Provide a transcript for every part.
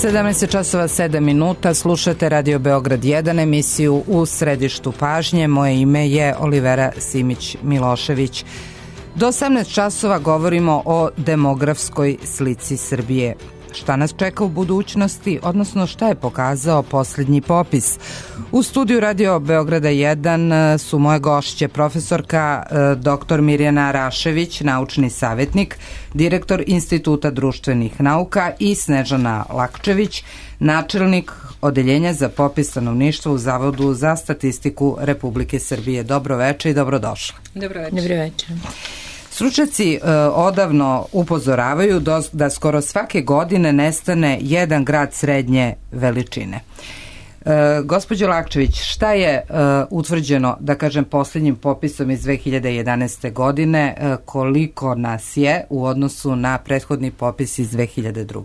17 časova 7 minuta, slušate Radio Beograd 1, emisiju U središtu pažnje. Moje ime je Olivera Simić-Milošević. Do 18 časova govorimo o demografskoj slici Srbije. Šta nas čeka u budućnosti, odnosno šta je pokazao posljednji popis? U studiju Radio Beograda 1 su moje gošće profesorka dr. Mirjana Rašević, naučni savjetnik, direktor Instituta društvenih nauka, i Snežana Lakčević, načelnik Odeljenja za popis stanovništva u Zavodu za statistiku Republike Srbije. Dobro večer i dobrodošli. Dobro večer. Dobro večer. Stručnjaci odavno upozoravaju da skoro svake godine nestane jedan grad srednje veličine. Gospođo Lakčević, šta je utvrđeno, da kažem, posljednjim popisom iz 2011. godine, koliko nas je u odnosu na prethodni popis iz 2002.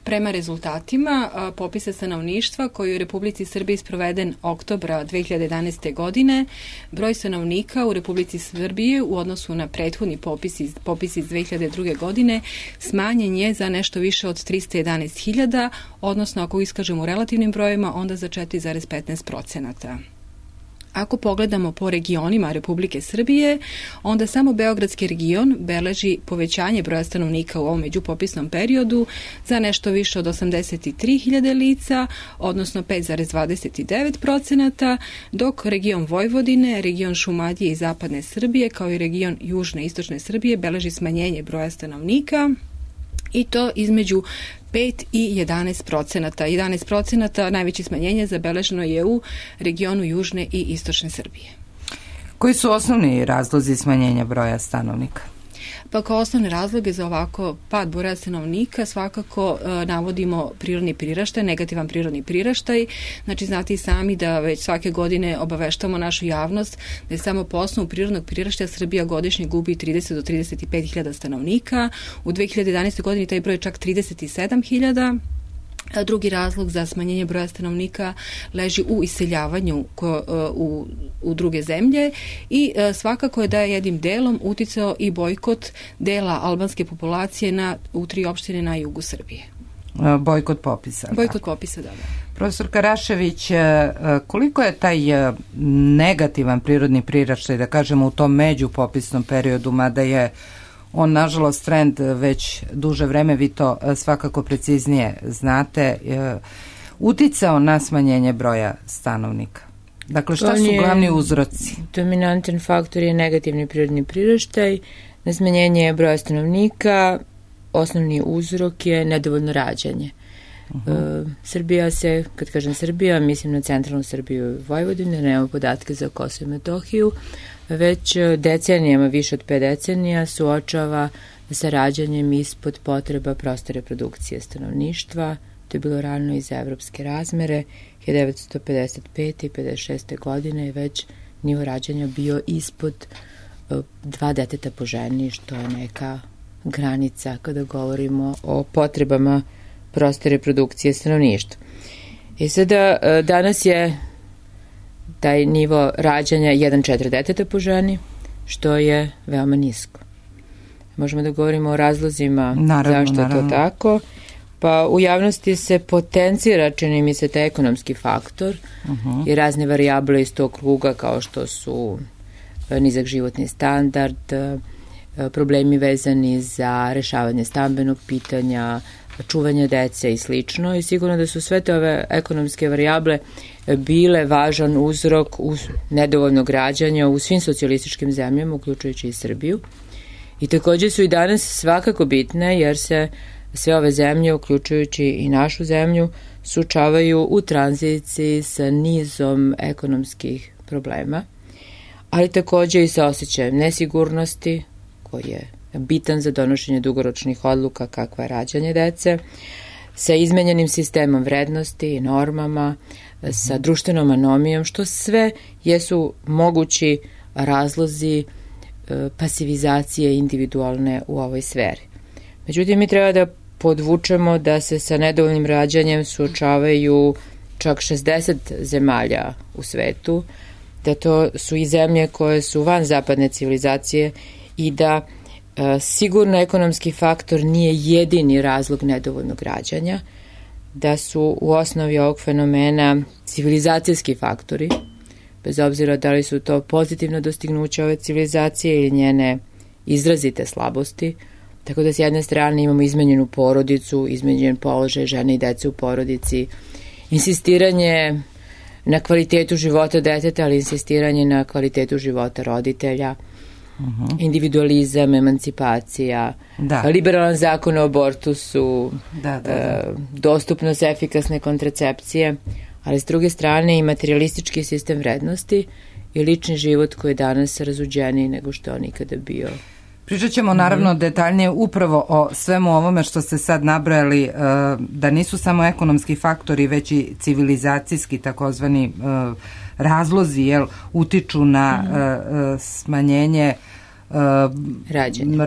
Prema rezultatima popisa stanovništva koji je u Republici Srbiji sproveden oktobra 2011. godine, broj stanovnika u Republici Srbiji u odnosu na prethodni popis iz 2002. godine smanjen je za nešto više od 311.000, odnosno ako iskažemo u relativnim brojima, onda za 4,15%. Ako pogledamo po regionima Republike Srbije, onda samo Beogradski region beleži povećanje broja stanovnika u ovom međupopisnom periodu za nešto više od 83.000 lica, odnosno 5,29%, dok region Vojvodine, region Šumadije i Zapadne Srbije, kao i region Južne i Istočne Srbije beleži smanjenje broja stanovnika, i to između 5 i 11%. 11% najveće smanjenje zabeleženo je u regionu Južne i Istočne Srbije. Koji su osnovni razlozi smanjenja broja stanovnika? Pa kao osnovne razloge za ovako pad broja stanovnika svakako navodimo prirodni priraštaj, negativan prirodni priraštaj. Znači, znate i sami da već svake godine obaveštamo našu javnost da je samo po osnovu prirodnog priraštaja Srbija godišnje gubi 30 do 35.000 stanovnika. U 2011. godini taj broj je čak 37.000. Drugi razlog za smanjenje broja stanovnika leži u iseljavanju u druge zemlje i svakako je da je jednim delom uticao i bojkot dela albanske populacije u 3 opštine na jugu Srbije. Bojkot popisa. Bojkot popisa, da. Profesorka Rašević, koliko je taj negativan prirodni priraštaj, da kažemo, u tom međupopisnom periodu, mada je on, nažalost, trend već duže vreme, vi to svakako preciznije znate, uticao na smanjenje broja stanovnika? Dakle, šta su glavni uzroci? Dominantan faktor je negativni prirodni priraštaj, na smanjenje broja stanovnika. Osnovni uzrok je nedovoljno rađanje. Srbija se, kad kažem Srbija, mislim na centralnu Srbiju i Vojvodinu, nemamo podatke za Kosovo i Metohiju, već decenijama, više od 5 decenija, suočava sa rađanjem ispod potreba proste reprodukcije stanovništva. To je bilo rano iz evropske razmere. 1955. i 56. godine je već nivo rađanja bio ispod 2 deteta po ženi, što je neka granica kada govorimo o potrebama proste reprodukcije stanovništva. I sada danas je taj nivo rađanja 1,4 deteta po ženi, što je veoma nisko. Možemo da govorimo o razlozima zašto je to tako. Pa u javnosti se potencira, čini mi se, taj ekonomski faktor i razne varijable iz tog kruga, kao što su nizak životni standard, problemi vezani za rešavanje stambenog pitanja, čuvanje dece i slično, i sigurno da su sve te ove ekonomske varijable bile važan uzrok nedovoljnog rađanja u svim socijalističkim zemljama, uključujući i Srbiju. I također su i danas svakako bitne, jer se sve ove zemlje, uključujući i našu zemlju, suočavaju u tranziciji sa nizom ekonomskih problema, ali također i sa osjećajem nesigurnosti, koji je bitan za donošenje dugoročnih odluka kakva je rađanje dece, sa izmenjenim sistemom vrednosti i normama, sa društvenom anomijom, što sve jesu mogući razlozi pasivizacije individualne u ovoj sferi. Međutim, mi treba da podvučemo da se sa nedovoljnim rađanjem suočavaju čak 60 zemalja u svetu, da to su i zemlje koje su van zapadne civilizacije i da Sigurno ekonomski faktor nije jedini razlog nedovoljnog rađanja, da su u osnovi ovog fenomena civilizacijski faktori, bez obzira da li su to pozitivno dostignuće ove civilizacije ili njene izrazite slabosti. Tako da s jedne strane imamo izmenjenu porodicu, izmenjen položaj žene i dece u porodici, insistiranje na kvalitetu života deteta, ali insistiranje na kvalitetu života roditelja, individualizam, emancipacija, liberalan zakon o abortusu, dostupnost efikasne kontracepcije, ali s druge strane i materialistički sistem vrednosti i lični život koji je danas razuđeniji nego što je on ikada bio. Pričat ćemo naravno detaljnije upravo o svemu ovome što ste sad nabrojali, da nisu samo ekonomski faktori, već i civilizacijski takozvani razlozi utiču na smanjenje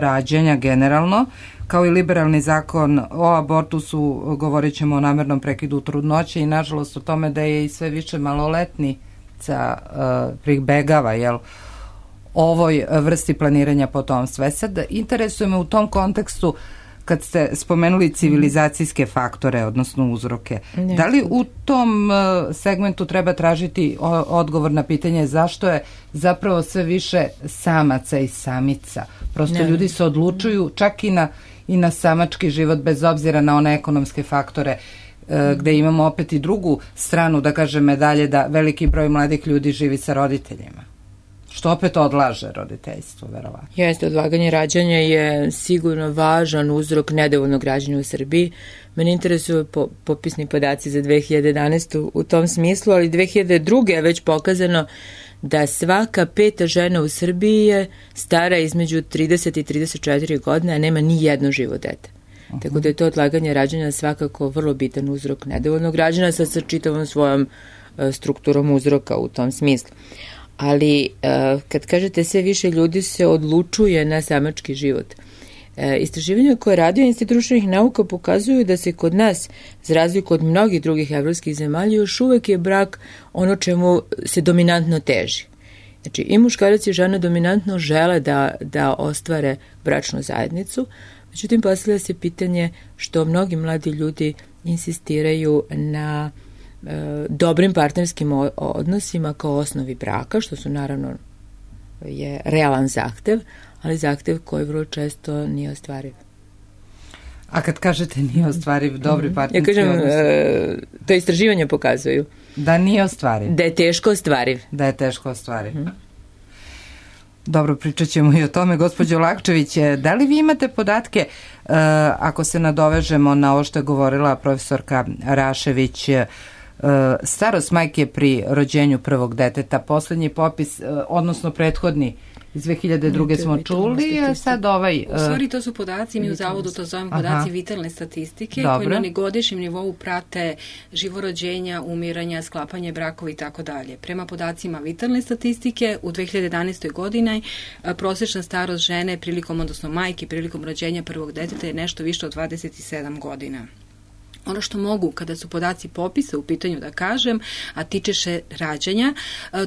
rađenja generalno, kao i liberalni zakon o abortusu. Govorit ćemo o namernom prekidu trudnoće i nažalost o tome da je i sve više maloletnica pribegava ovoj vrsti planiranja potomstva. Sad, interesuje me u tom kontekstu, kad ste spomenuli civilizacijske faktore, odnosno uzroke, da li u tom segmentu treba tražiti odgovor na pitanje zašto je zapravo sve više samaca i samica? Prosto ljudi se odlučuju čak i na samački život, bez obzira na one ekonomske faktore, gde imamo opet i drugu stranu, da kažem, medalje, da veliki broj mladih ljudi živi sa roditeljima, što opet odlaže roditeljstvo, verovatno. Jeste, odlaganje rađanja je sigurno važan uzrok nedovoljnog rađanja u Srbiji. Mene interesuju popisni podaci za 2011. u tom smislu, ali 2002. je već pokazano da svaka 5. žena u Srbiji je stara između 30 i 34 godine, a nema ni jedno živo dete. Tako da je to odlaganje rađanja svakako vrlo bitan uzrok nedovoljnog rađanja sa čitavom svojom strukturom uzroka u tom smislu. Ali kad kažete sve više ljudi se odlučuje na samački život. Istraživanja koje radio Institut društvenih nauka pokazuju da se kod nas, za razliku od mnogih drugih evropskih zemalja, još uvek je brak ono čemu se dominantno teži. Znači i muškarac i žena dominantno žele da ostvare bračnu zajednicu, međutim postavlja se pitanje što mnogi mladi ljudi insistiraju na dobrim partnerskim odnosima kao osnovi braka, što su naravno je realan zahtev, ali zahtev koji vrlo često nije ostvariv. A kad kažete nije ostvariv, dobri partnerski odnosi? Ja kažem, to istraživanje pokazuju. Da nije ostvariv. Da je teško ostvariv. Da je teško ostvariv. Dobro, pričat ćemo i o tome. Gospođo Lakčević, da li vi imate podatke, ako se nadovežemo na ovo što je govorila profesorka Rašević, starost majke pri rođenju prvog deteta, poslednji popis, odnosno prethodni iz 2002. smo čuli, a sad U stvari to su podaci, mi u Zavodu to zovemo podaci vitalne statistike, koji na godišnjem nivou prate živorođenja, umiranja, sklapanje brakova i tako dalje. Prema podacima vitalne statistike, u 2011. godini prosječna starost žene prilikom, odnosno majke prilikom rođenja prvog deteta je nešto više od 27 godina. Ono što mogu, kada su podaci popisa u pitanju da kažem, a tiče se rađanja,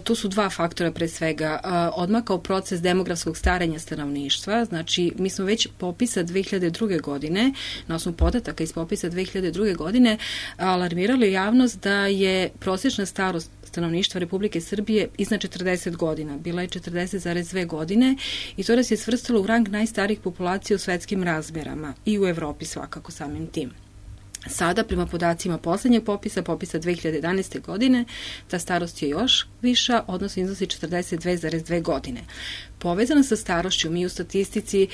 tu su dva faktora pre svega. Odmakao proces demografskog staranja stanovništva, znači mi smo već popisa 2002. godine, na osnovu podataka iz popisa 2002. godine, alarmirali javnost da je prosječna starost stanovništva Republike Srbije iznad 40 godina. Bila je 40,2 godine i to nas je svrstalo u rang najstarijih populacija u svetskim razmerama i u Evropi svakako samim tim. Sada, prema podacima poslednjeg popisa 2011. godine, ta starost je još viša, odnosno iznosi 42,2 godine. Povezano sa starošću, mi u statistici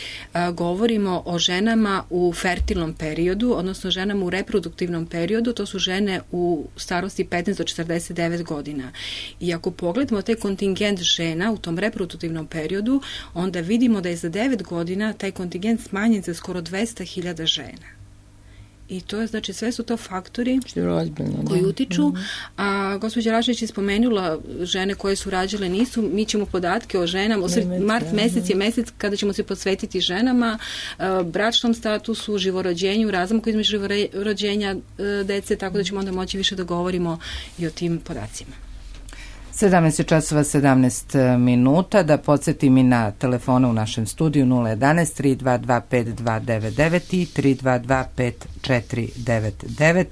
govorimo o ženama u fertilnom periodu, odnosno ženama u reproduktivnom periodu, to su žene u starosti 15 do 49 godina. I ako pogledamo taj kontingent žena u tom reproduktivnom periodu, onda vidimo da je za 9 godina taj kontingent smanjen za skoro 200.000 žena. I to je, znači, sve su to faktori koji utiču. A gospođa Rašević je spomenula žene koje su rađale nisu. Mi ćemo podatke o ženama. Mart mesec je mesec kada ćemo se posvetiti ženama, bračnom statusu, živorođenju, razmaku između živorođenja dece, tako da ćemo onda moći više da govorimo i o tim podacima. 17 časova 17 minuta. Da podsjetim i na telefone u našem studiju 011 322 5299 i 322 5499.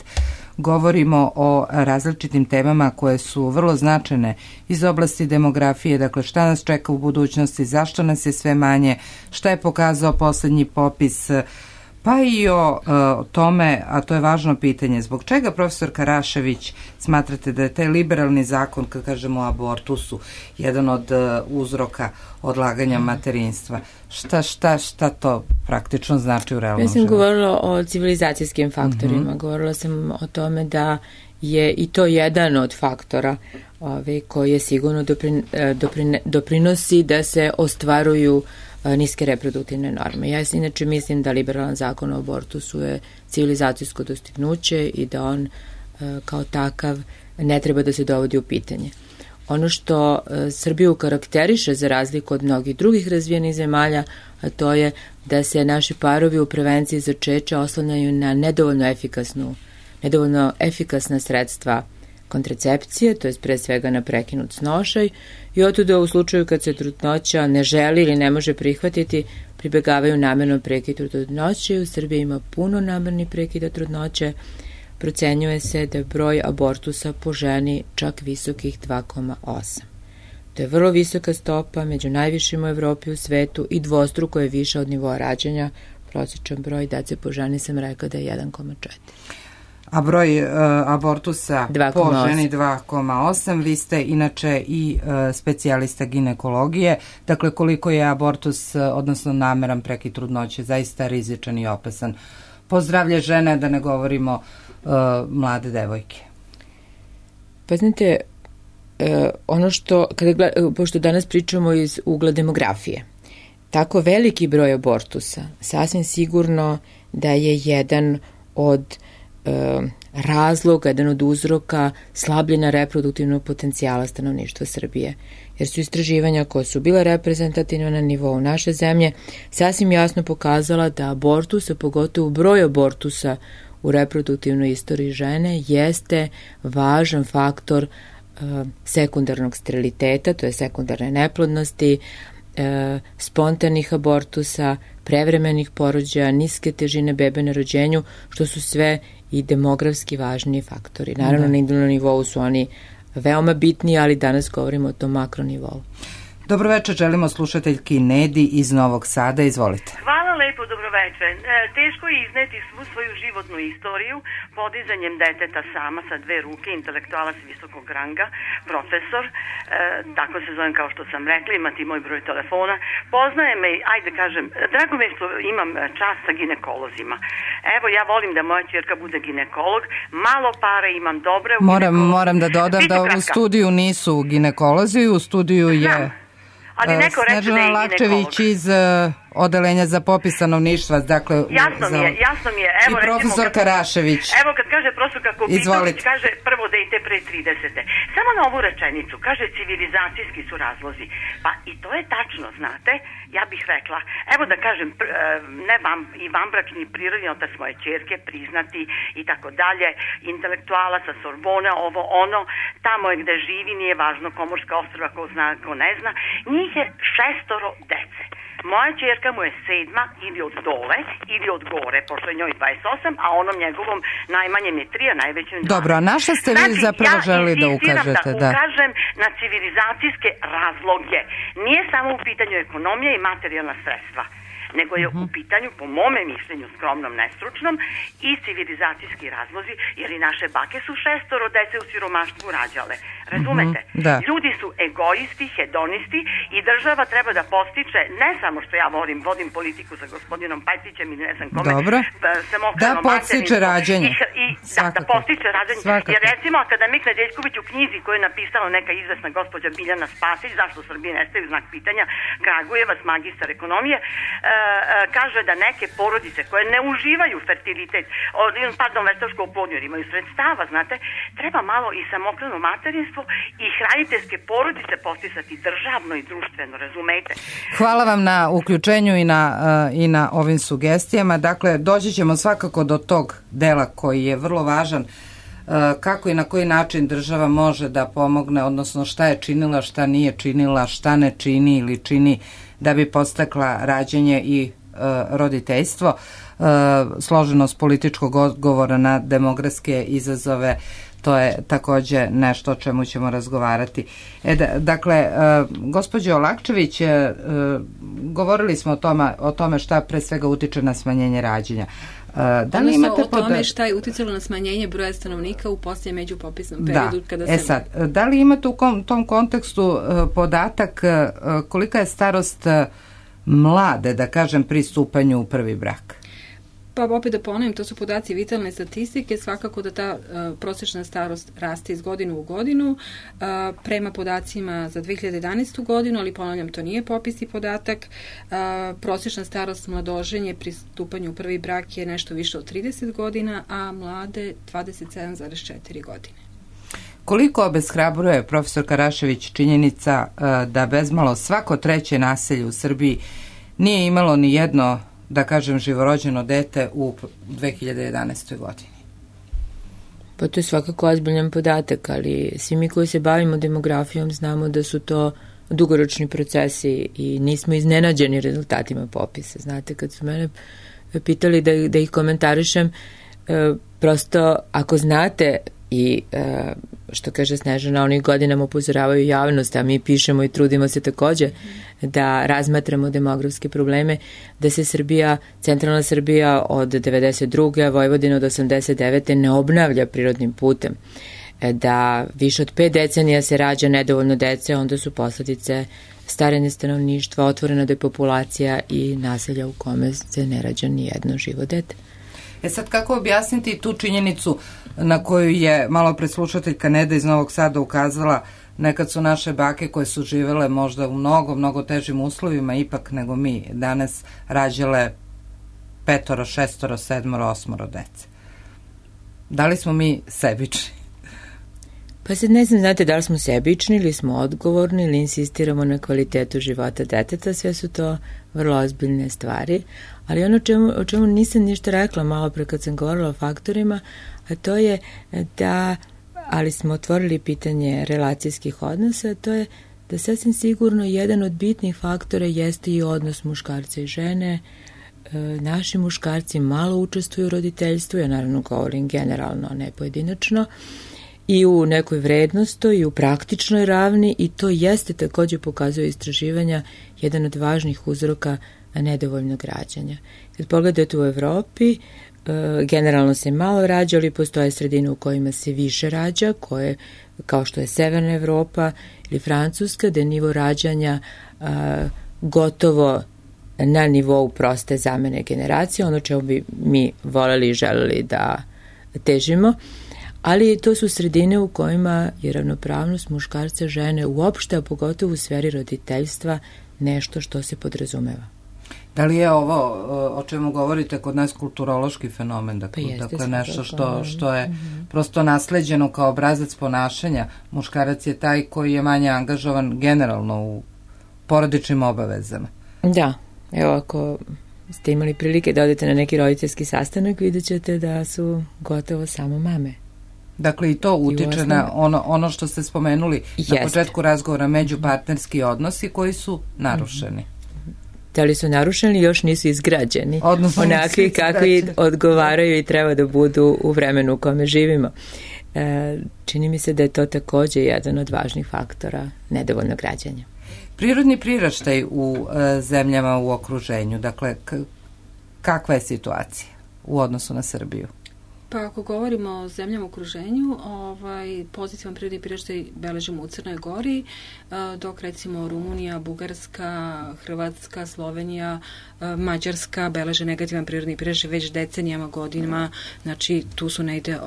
Govorimo o različitim temama koje su vrlo značajne iz oblasti demografije, dakle šta nas čeka u budućnosti, zašto nas je sve manje, šta je pokazao poslednji popis, pa i o tome, a to je važno pitanje, zbog čega, profesor Karašević, smatrate da je taj liberalni zakon, kad kažemo o abortusu, jedan od uzroka odlaganja materinstva? Šta to praktično znači u realnom životu? Ja sam govorila o civilizacijskim faktorima, govorila sam o tome da je i to jedan od faktora koji je sigurno doprinosi da se ostvaruju niske reproduktivne norme. Ja inače mislim da liberalan zakon o abortusu je civilizacijsko dostignuće i da on kao takav ne treba da se dovodi u pitanje. Ono što Srbiju karakteriše za razliku od mnogih drugih razvijenih zemalja, a to je da se naši parovi u prevenciji začeća oslanjaju na nedovoljno efikasna sredstva kontracepcije, to je pre svega na prekinut snošaj, i otuda u slučaju kad se trudnoća ne želi ili ne može prihvatiti, pribegavaju namernom prekidu trudnoće. U Srbiji ima puno namernih prekida trudnoće. Procenjuje se da je broj abortusa po ženi čak visokih 2,8. To je vrlo visoka stopa, među najvišim u Evropi, u svetu, i dvostruko je više od nivoa rađanja. Prosječan broj dece po ženi sam rekao da je 1,4. A broj abortusa 2,8. Po ženi 2,8. Vi ste inače i specijalista ginekologije. Dakle, koliko je abortus, odnosno nameran prekid trudnoće, zaista rizičan i opasan po zdravlje žene, da ne govorimo mlade devojke? Pa znate, ono što, pošto danas pričamo iz ugla demografije, tako veliki broj abortusa sasvim sigurno da je jedan od razloga, jedan od uzroka slabljenja reproduktivnog potencijala stanovništva Srbije. Jer su istraživanja koja su bila reprezentativna na nivou naše zemlje sasvim jasno pokazala da abortus, a pogotovo broj abortusa u reproduktivnoj istoriji žene, jeste važan faktor sekundarnog steriliteta, to je sekundarne neplodnosti, spontanih abortusa, prevremenih porođaja, niske težine bebe na rođenju, što su sve i demografski važni faktori. Naravno, na individualnom nivou su oni veoma bitni, ali danas govorimo o tom makronivou. Dobroveče, želimo slušateljki Nedi iz Novog Sada. Izvolite. Hvala lepo, dobroveče. Teško je izneti svu svoju životnu istoriju podizanjem deteta sama sa 2 ruke, intelektualac visokog ranga, profesor, tako se zovem kao što sam rekla, imati moj broj telefona. Poznaje me, ajde kažem, drago me što imam čast sa ginekolozima. Evo, ja volim da moja ćerka bude ginekolog, malo pare imam dobre u ginekologiji. Moram da dodam da u studiju nisu ginekolozi, u studiju je Snežana Lakčević iz Odeljenja za popis stanovništva, dakle jasno mi je. Evo, i profesor Karašević. Evo kad kaže profesor Kopitović, kaže prvo dete pre 30. Samo na ovu rečenicu, kaže civilizacijski su razlozi. Pa i to je tačno, znate, ja bih rekla, evo da kažem, i vanbračni prirodni otac moje ćerke, priznati i tako dalje, intelektualac sa Sorbona, ovo ono, tamo je gde živi, nije važno, Komorska ostrva, ko zna, ko ne zna, njih je 6 dece. Moja ćerka mu je 7 ili od dole ili od gore, pošto je njoj 28, a onom njegovom najmanjem je 3, a najvećem 2. Dobro, a na šta ste vi zapravo želi da ukažete? Da ukažem na civilizacijske razloge. Nije samo u pitanju ekonomija i materijalna sredstva, nego je u pitanju, po mome mišljenju, skromnom, nestručnom, i civilizacijski razlozi, jer i naše bake su 6 dece u siromaštvu rađale. Razumete? Ljudi su egoisti, hedonisti i država treba da postiče, ne samo što ja vodim politiku sa gospodinom Pajtićem i ne znam kome, da podstiče rađanje. Da podstiče rađanje. Jer recimo, akademik Nedeljković u knjizi koju je napisala neka izvesna gospođa Biljana Spasić, zašto Srbije nestaju, znak pitanja, Kragujevac, magistar ekonomije, kaže da neke porodice koje ne uživaju fertilitet, veštačku oplodnju, jer imaju sredstava, znate, treba malo i samohrano materinstvo i hraniteljske porodice postisati državno i društveno, razumete? Hvala vam na uključenju i na ovim sugestijama. Dakle, doći ćemo svakako do tog dela koji je vrlo važan kako i na koji način država može da pomogne, odnosno šta je činila, šta nije činila, šta ne čini ili čini da bi podstakla rađanje i roditeljstvo, složenost političkog odgovora na demografske izazove, to je takođe nešto o čemu ćemo razgovarati. Dakle, gospođo Lakčević, govorili smo o tome šta pre svega utiče na smanjenje rađanja. Da li imate o tome šta je uticalo na smanjenje broja stanovnika u posljednjem međupopisnom periodu? Da li imate u tom kontekstu podatak kolika je starost mlade, da kažem, pri stupanju u prvi brak? Pa opet da ponovim, to su podaci vitalne statistike, svakako da ta prosječna starost raste iz godinu u godinu, prema podacima za 2011. godinu, ali ponavljam, to nije popisni podatak, prosječna starost mladoženje pri stupanju u prvi brak je nešto više od 30 godina, a mlade 27,4 godine. Koliko obeshrabruje, profesor Karašević, činjenica da bezmalo svako treće naselje u Srbiji nije imalo ni jedno, da kažem, živorođeno dete u 2011. godini? Pa to je svakako ozbiljan podatak, ali svi mi koji se bavimo demografijom znamo da su to dugoročni procesi i nismo iznenađeni rezultatima popisa. Znate, kad su mene pitali da ih komentarišem, prosto ako znate i što kaže Snežana, onih godinama upozoravaju javnost, a mi pišemo i trudimo se takođe da razmatramo demografske probleme, da se centralna Srbija od 92. a Vojvodina od 89. ne obnavlja prirodnim putem, da više od 5 decenija se rađa nedovoljno dece, onda su posledice starenje stanovništva, otvorena depopulacija i naselja u kome se ne rađa ni jedno živo dete. Sad, kako objasniti tu činjenicu na koju je malo pre slušateljka Neda iz Novog Sada ukazala? Nekad su naše bake koje su živele možda u mnogo težim uslovima ipak nego mi danas rađale 5, 6, 7, 8 dece. Da li smo mi sebični? Pa sad ne znam, znate, da li smo sebični ili smo odgovorni ili insistiramo na kvalitetu života deteta, sve su to vrlo ozbiljne stvari, ali ono o čemu nisam ništa rekla malo pre kad sam govorila o faktorima, a to je da, ali smo otvorili pitanje relacijskih odnosa, to je da sasvim sigurno jedan od bitnih faktora jeste i odnos muškarca i žene. Naši muškarci malo učestvuju u roditeljstvu, ja naravno govorim generalno, ne pojedinačno, i u nekoj vrednosti i u praktičnoj ravni, i to jeste takođe, pokazuje istraživanja, jedan od važnih uzroka nedovoljnog rađanja. Kad pogledate u Evropi, generalno se malo rađa, ali postoje sredine u kojima se više rađa, koje, kao što je Severna Evropa ili Francuska, da je nivo rađanja gotovo na nivou proste zamene generacije, ono čemu bi mi voleli i želeli da težimo, ali to su sredine u kojima je ravnopravnost muškarca žene uopšte, a pogotovo u sferi roditeljstva, nešto što se podrazumeva. Da li je ovo o čemu govorite kod nas kulturološki fenomen? Dakle, nešto što je prosto nasleđeno kao obrazac ponašanja. Muškarac je taj koji je manje angažovan generalno u porodičnim obavezama. Da, evo, ako ste imali prilike da odete na neki roditeljski sastanak, vidjet ćete da su gotovo samo mame. Dakle, i to utiče na ono što ste spomenuli na početku razgovora, međupartnerski odnosi koji su narušeni. Da li su narušeni, još nisu izgrađeni. Onakvi kakvi odgovaraju i treba da budu u vremenu u kome živimo. Čini mi se da je to takođe jedan od važnih faktora nedovoljnog rađanja. Prirodni priraštaj u zemljama u okruženju, dakle, kakva je situacija u odnosu na Srbiju? Pa ako govorimo o zemljama u okruženju, pozitivan prirodni priraštaj beležimo u Crnoj Gori, dok recimo Rumunija, Bugarska, Hrvatska, Slovenija, Mađarska beleže negativan prirodni priraštaj već decenijama, godinama, znači tu su negde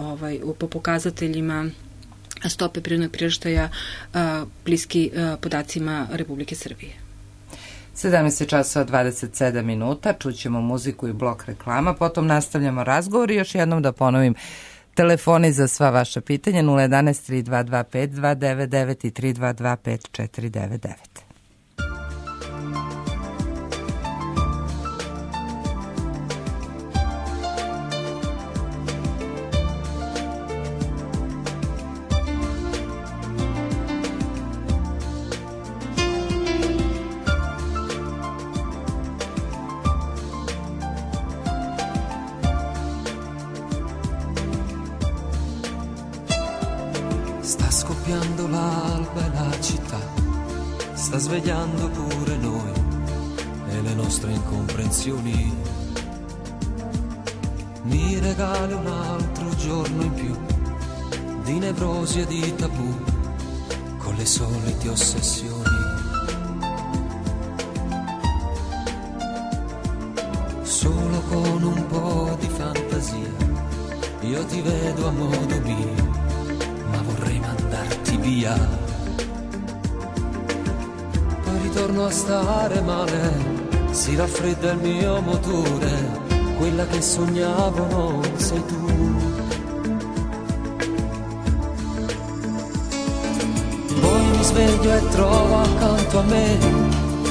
po pokazateljima stope prirodnog priraštaja bliski podacima Republike Srbije. 17:27 minuta, čućemo muziku i blok reklama, potom nastavljamo razgovor i još jednom da ponovim telefoni za sva vaša pitanja 011 3225 299 i 3225 499. sta svegliando pure noi e le nostre incomprensioni. Mi regali un altro giorno in più di nevrosi e di tabù, con le solite ossessioni. Solo con un po' di fantasia io ti vedo a modo mio, ma vorrei mandarti via. Poi ritorno a stare male, si raffredda il mio motore, quella che sognavo non sei tu. Poi mi sveglio e trovo accanto a me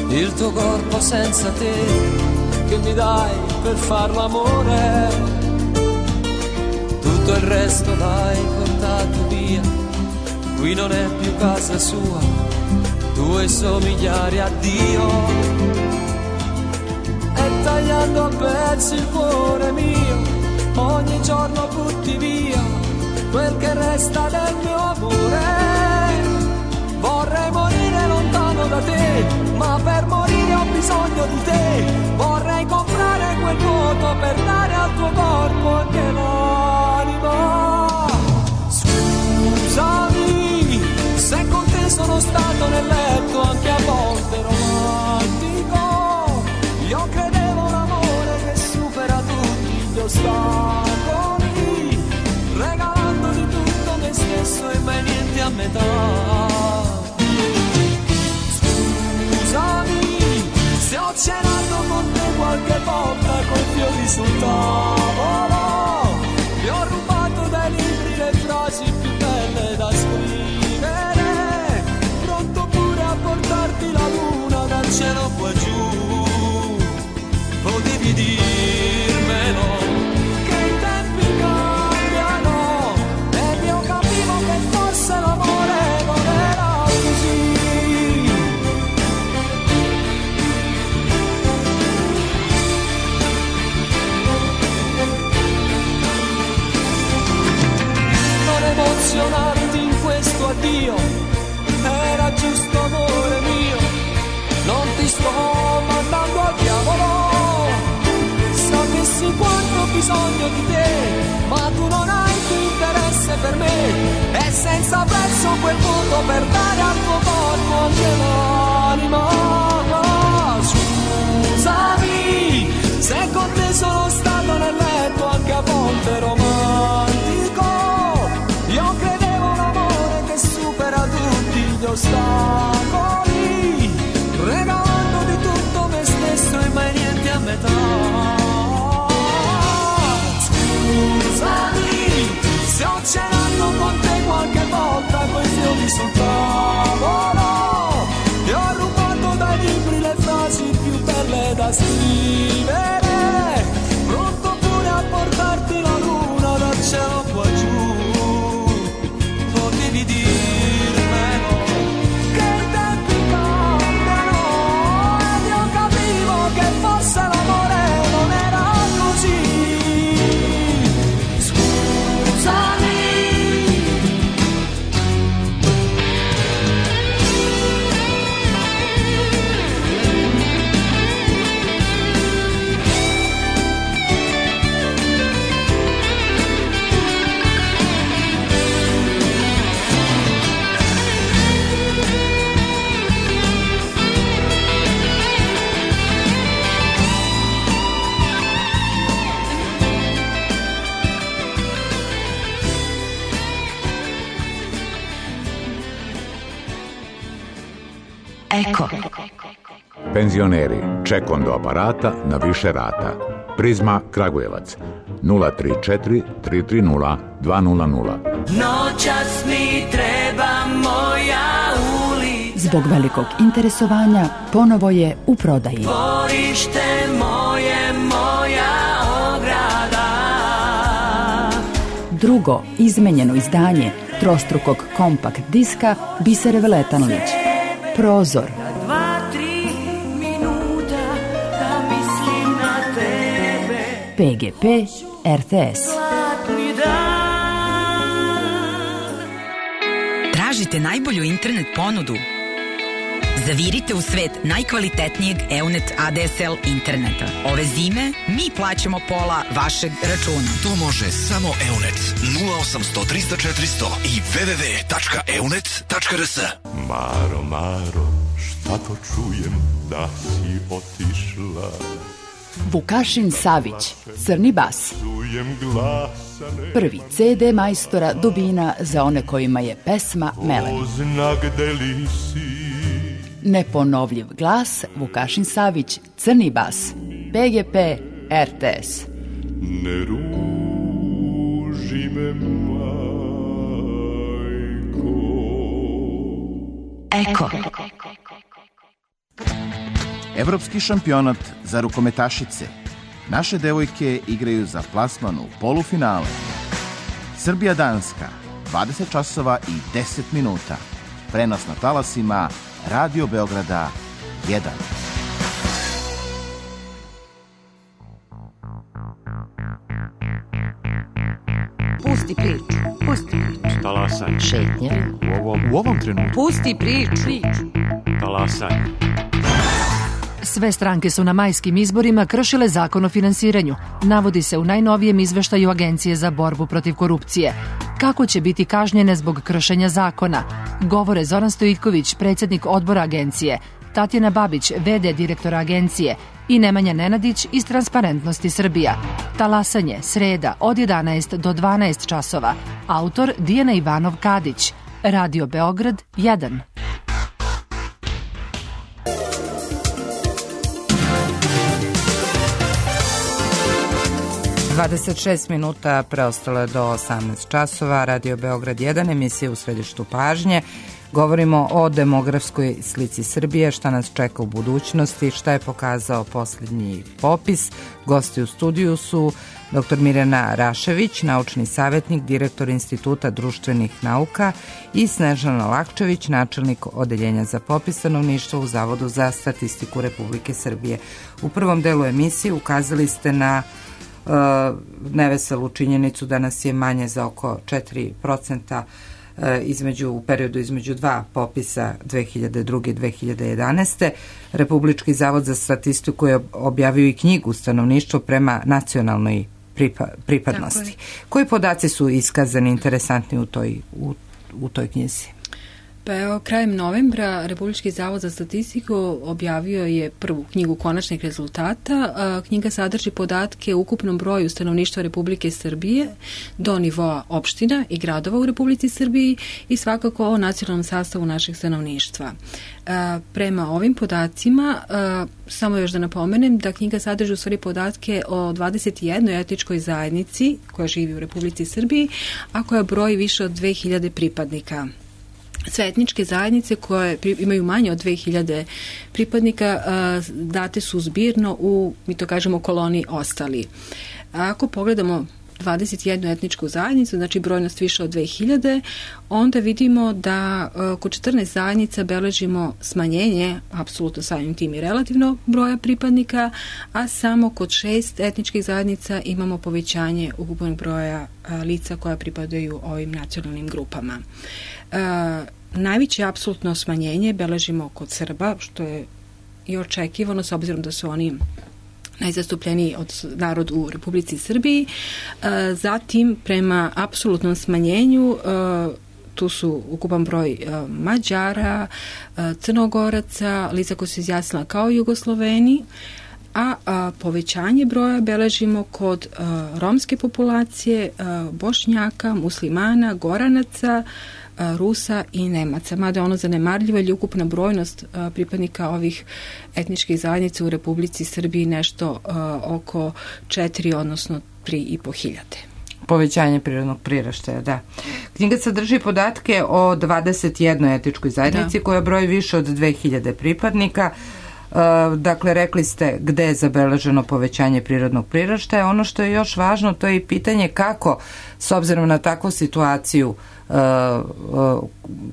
il tuo corpo senza te, che mi dai per far l'amore. Tutto il resto l'hai portato via, qui non è più casa sua, tu e i somigliari a Dio. E tagliando a pezzi il cuore mio, ogni giorno butti via quel che resta del mio amore. Vorrei morire lontano da te, ma per morire ho bisogno di te. Vorrei comprare quel vuoto per dare al tuo corpo anche l'anima. Scusami se con te sono stato nel letto anche a volte romantico. Io credevo l'amore che supera tutti gli ostacoli, regalando di tutto me stesso e mai niente a metà. Se ho cenato con te qualche volta con fiori sul tavolo, ti ho rubato dai libri le frasi più belle da scrivere, pronto pure a portarti la luna dal cielo qua giù. Potevi dirmelo che i tempi cambiano ed io capivo che forse l'amore non era così. Emozionarti in questo addio era giusto, amore mio. Non ti sto mandando al diavolo, sapessi quanto ho bisogno di te, ma tu non hai più interesse per me, e senza prezzo quel voto per dare al tuo corpo anche l'anima. Scusami se con te sono stato nel letto anche a volte romantico. Io credevo l'amore che supera tutti gli ostacoli, regalando di tutto me stesso e mai niente a metà. Scusami se ho cenato con te qualche volta coi fiori sul tavolo, ti ho rubato dai libri le frasi più belle da scrivere, pronto pure a portarti la luna dal cielo qua giù. Potevi dirmelo che i tempi cambiano ed io capivo che forse l'amore non era così. Scusami. Eko. Penzioneri, čekondo aparata na više rata. Prizma Kragujevac 034 330 200. Noćas mi treba moja ulica. Zbog velikog interesovanja ponovo je u prodaji. Dvorište moje, moja ograda. Drugo izmenjeno izdanje trostrukog kompakt diska Bisere Veletanović. Prozor. 2-3 minuta da mislim na tebe. PGP RTS. Tražite najbolju internet ponudu? Zavirite u svet najkvalitetnijeg EUNET ADSL interneta. Ove zime mi plaćamo pola vašeg računa. To može samo EUNET 0800 300 400 i www.eunet.rs. Maro, Maro, šta to čujem da si otišla? Vukašin Savić, Crni bas. Prvi CD majstora Dubina za one kojima je pesma melem. Neponovljiv glas Vukašin Savić, Crni bas. PGP RTS. Ne ruži me, majko. Eko. Evropski šampionat za rukometašice. Naše devojke igraju za plasman u polufinale. Srbija-Danska, 20 časova i 10 minuta. Prenos na talasima Radio Beograda 1. Pusti priču, pusti priču. Talasaj. Šetnje. U ovom trenutku. Pusti priču. Talasaj. Sve stranke su na majskim izborima kršile zakon o finansiranju. Navodi se u najnovijem izveštaju Agencije za borbu protiv korupcije. Kako će biti kažnjene zbog kršenja zakona? Govore Zoran Stojiković, predsjednik odbora agencije, Tatjana Babić, v.d. direktora agencije i Nemanja Nenadić iz Transparentnosti Srbija. Talasanje, sreda, od 11 do 12 časova. Autor Dijana Ivanov-Kadić. Radio Beograd 1. 26 minuta preostalo je do 18 časova. Radio Beograd 1, emisija u središtu pažnje. Govorimo o demografskoj slici Srbije, šta nas čeka u budućnosti, šta je pokazao posljednji popis. Gosti u studiju su dr. Mirjana Rašević, naučni savjetnik, direktor Instituta društvenih nauka, i Snežana Lakčević, načelnik Odeljenja za popis stanovništva u Zavodu za statistiku Republike Srbije. U prvom delu emisije ukazali ste na neveselu činjenicu da nas je manje za oko 4% u periodu između dva popisa 2002. i 2011. Republički zavod za statistiku je objavio i knjigu Stanovništvo prema nacionalnoj pripadnosti. Koji podaci su iskazani interesantni u toj knjizi? Pa evo, krajem novembra Republički zavod za statistiku objavio je prvu knjigu konačnih rezultata. Knjiga sadrži podatke o ukupnom broju stanovništva Republike Srbije do nivoa opština i gradova u Republici Srbiji i svakako o nacionalnom sastavu našeg stanovništva. Prema ovim podacima, samo još da napomenem da knjiga sadrži u stvari podatke o 21 etničkoj zajednici koja živi u Republici Srbiji, a koja broji više od 2000 pripadnika. Sve etničke zajednice koje imaju manje od 2000 pripadnika date su zbirno u, mi to kažemo, koloni ostali. Ako pogledamo 21 etničku zajednicu, znači brojnost više od 2000, onda vidimo da kod 14 zajednica beležimo smanjenje, apsolutno samim tim i relativno, broja pripadnika, a samo kod 6 etničkih zajednica imamo povećanje ukupnog broja lica koja pripadaju ovim nacionalnim grupama. Najveće apsolutno smanjenje beležimo kod Srba, što je i očekivano s obzirom da su oni najzastupljeniji od narod u Republici Srbiji. Zatim, prema apsolutnom smanjenju, tu su ukupan broj Mađara, Crnogoraca, lica koji su izjasnila kao Jugosloveni, a povećanje broja beležimo kod romske populacije, Bošnjaka, muslimana, Goranaca, Rusa i Nemaca. Mada je ono zanemarljivo, jer je ukupna brojnost pripadnika ovih etničkih zajednica u Republici Srbiji nešto oko 4, odnosno 3.500. Povećanje prirodnog priraštaja, da. Knjiga sadrži podatke o 21 etničkoj zajednici koja broji više od 2000 pripadnika. Dakle, rekli ste gde je zabeleženo povećanje prirodnog priraštaja. Ono što je još važno, to je i pitanje kako, s obzirom na takvu situaciju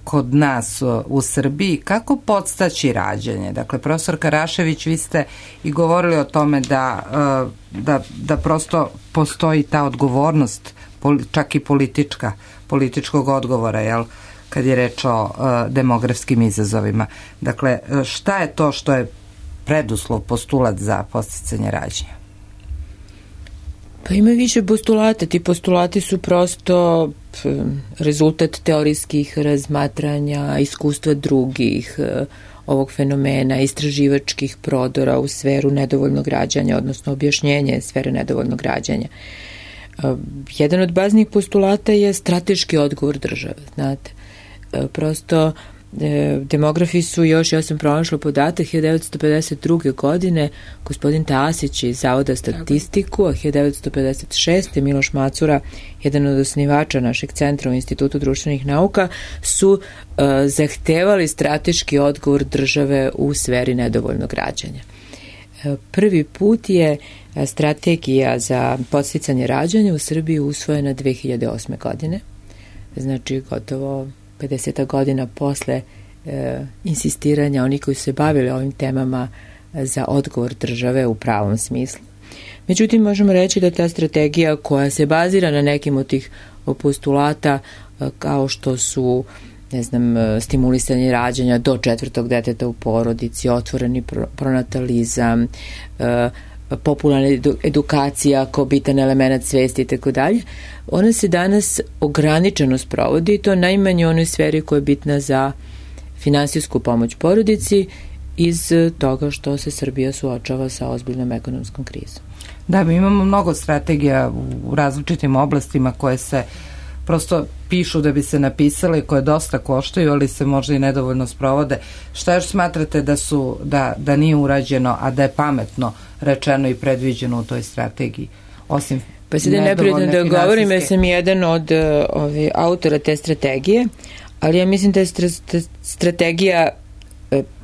kod nas u Srbiji, kako podstaći rađanje. Dakle, profesor Karašević, vi ste i govorili o tome da prosto postoji ta odgovornost, čak i političkog odgovora, jel? kad je reč o demografskim izazovima. Dakle, šta je to što je preduslov, postulat za podsticanje rađanja? Pa ima više postulata. Ti postulati su prosto rezultat teorijskih razmatranja, iskustva drugih, ovog fenomena, istraživačkih prodora u sferu nedovoljnog rađanja, odnosno objašnjenje sfere nedovoljnog rađanja. Jedan od baznih postulata je strateški odgovor države, znate. Prosto demografi su još, ja sam pronašla podatak, 1952. godine gospodin Tasić iz Zavoda statistiku, a 1956. Miloš Macura, jedan od osnivača našeg centra u Institutu društvenih nauka, su zahtevali strateški odgovor države u sferi nedovoljnog rađanja. Prvi put je strategija za podsticanje rađanja u Srbiji usvojena 2008. godine, znači gotovo 50 godina posle insistiranja onih koji su se bavili ovim temama za odgovor države u pravom smislu. Međutim, možemo reći da ta strategija koja se bazira na nekim od tih postulata kao što su stimulisanje rađanja do 4. deteta u porodici, otvoreni pronatalizam, popularna edukacija kao bitan element svesti i tako dalje, ona se danas ograničeno sprovodi i to najmanje u onoj sferi koja je bitna za finansijsku pomoć porodici iz toga što se Srbija suočava sa ozbiljnom ekonomskom krizom. Da, mi imamo mnogo strategija u različitim oblastima koje se prosto pišu da bi se napisale, koje dosta koštaju, ali se možda i nedovoljno sprovode. Šta još smatrate da nije urađeno, a da je pametno rečeno i predviđeno u toj strategiji? Osim pa se da ne prijedno da govorim, ja sam jedan od autora te strategije, ali ja mislim da je strategija,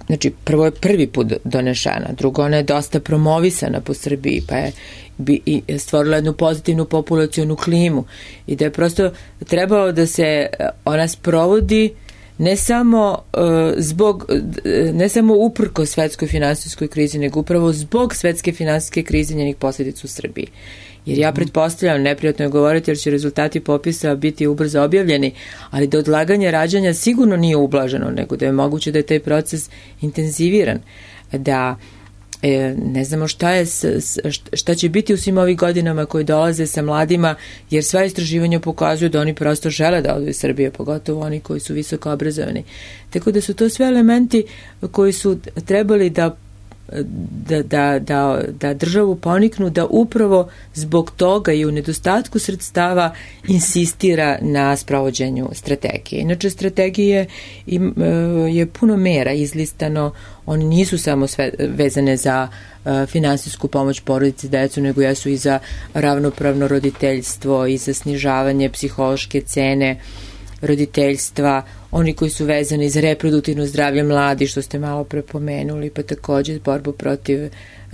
znači prvo je prvi put donešena, drugo ona je dosta promovisana po Srbiji, pa je stvorila jednu pozitivnu populacionu klimu i da je prosto trebalo da se ona sprovodi ne samo uprko svetskoj finansijskoj krizi, nego upravo zbog svetske finansijske krize i njenih posljedica u Srbiji. Jer ja pretpostavljam, neprijatno je govoriti jer će rezultati popisa biti ubrzo objavljeni, ali da odlaganje rađanja sigurno nije ublaženo, nego da je moguće da je taj proces intenziviran, da ne znamo šta će biti u svim ovih godinama koji dolaze sa mladima, jer sva istraživanja pokazuju da oni prosto žele da odu iz Srbije, pogotovo oni koji su visoko obrazovani. Tako da su to sve elementi koji su trebali da državu poniknu da upravo zbog toga i u nedostatku sredstava insistira na sprovođenju strategije. Inače, strategije je puno mera izlistano, oni nisu samo sve vezane za finansijsku pomoć porodici i decu, nego jesu i za ravnopravno roditeljstvo i za snižavanje psihološke cene roditeljstva, oni koji su vezani za reproduktivno zdravlje mladi, što ste malo prepomenuli, pa također borbu protiv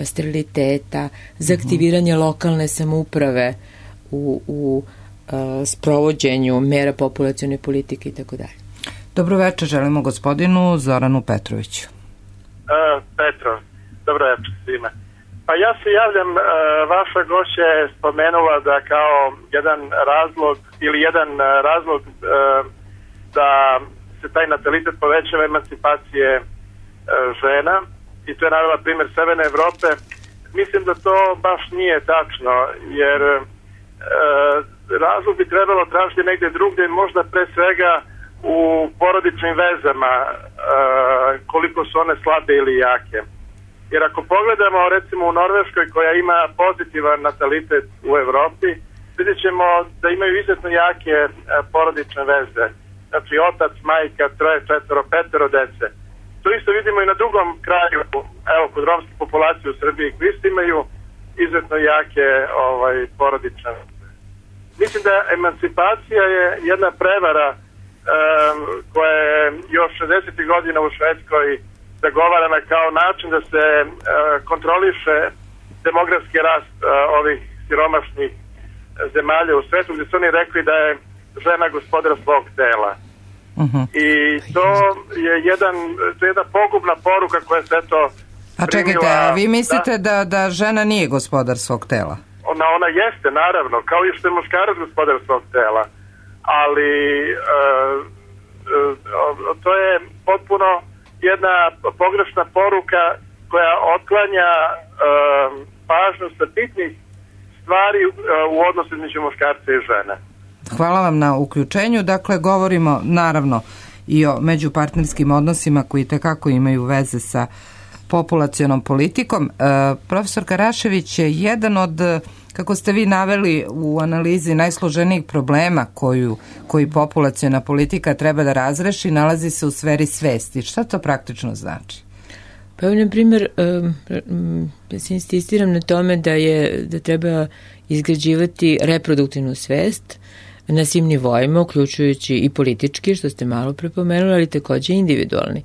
steriliteta, za aktiviranje lokalne samouprave u sprovođenju mera populacione politike i tako dalje. Dobro večer, želimo gospodinu Zoranu Petroviću. Petro, dobro večer svima. Pa ja se javljam, vaša gošća je spomenula da kao jedan razlog da se taj natalitet povećava emancipacije žena, i to je navela primjer Severne Evrope. Mislim da to baš nije tačno, jer razlog bi trebalo tražiti negdje drugdje, možda pre svega u porodičnim vezama, koliko su one slabe ili jake. Jer ako pogledamo recimo u Norveškoj koja ima pozitivan natalitet u Evropi, vidjet ćemo da imaju izuzetno jake porodične veze. Znači otac, majka, 3, 4, 5 dece. To isto vidimo i na drugom kraju, evo kod romske populacije u Srbiji, koji isto imaju izuzetno jake porodične veze. Mislim da emancipacija je jedna prevara koja je još 60. godina u Švedskoj zagovarana kao način da se kontroliše demografski rast ovih siromašnih zemalja u svetu, gdje su oni rekli da je žena gospodar svog tela. I to je jedna pogubna poruka koja se to primila. A čekajte, vi mislite da žena nije gospodar svog tela? Ona jeste, naravno, kao i što je muškarac gospodar svog tela. Ali to je potpuno jedna pogrešna poruka koja otklanja pažnju sa bitnih stvari u odnosu između muškarca i žene. Hvala vam na uključenju. Dakle, govorimo naravno i o međupartnerskim odnosima koji tekako imaju veze sa populacionom politikom. Profesor Karašević je jedan od, kako ste vi naveli u analizi, najsloženijih problema koji populaciona politika treba da razreši, nalazi se u sferi svesti. Šta to praktično znači? Pa na primjer, ja se insistiram na tome da treba izgrađivati reproduktivnu svest na svim nivoima, uključujući i politički, što ste malo prepomenuli, ali takođe individualni.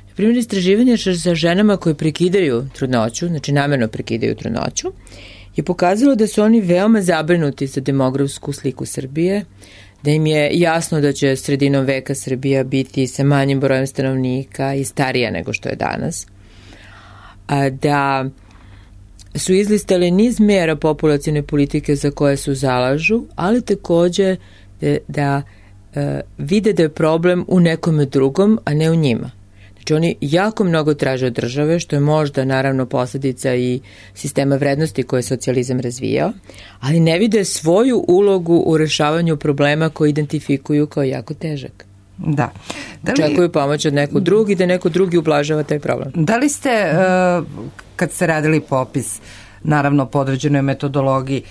Na primjer, istraživanje sa ženama koje prekidaju trudnoću, znači namerno prekidaju trudnoću, je pokazalo da su oni veoma zabrinuti za demografsku sliku Srbije, da im je jasno da će sredinom veka Srbija biti sa manjim brojem stanovnika i starija nego što je danas, da su izlistali niz mera populacione politike za koje su zalažu, ali takođe da vide da je problem u nekome drugom, a ne u njima. Znači oni jako mnogo traže od države, što je možda naravno posledica i sistema vrednosti koje je socijalizam razvijao, ali ne vide svoju ulogu u rešavanju problema koje identifikuju kao jako težak. Da. Očekuju pomoć od nekog drugi, da neko drugi ublažava taj problem. Da li ste, kad ste radili popis, naravno po određenoj metodologiji,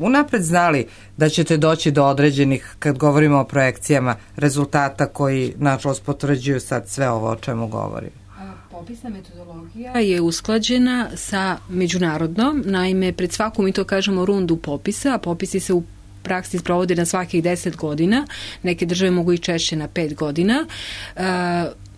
unapred znali da ćete doći do određenih, kad govorimo o projekcijama, rezultata koji nažalost potvrđuju sad sve ovo o čemu govorim? Popisna metodologija je usklađena sa međunarodnom, naime pred svaku, mi to kažemo, rundu popisa, a popisi se u praksi sprovode na svakih 10 godina, neke države mogu i češće na 5 godina.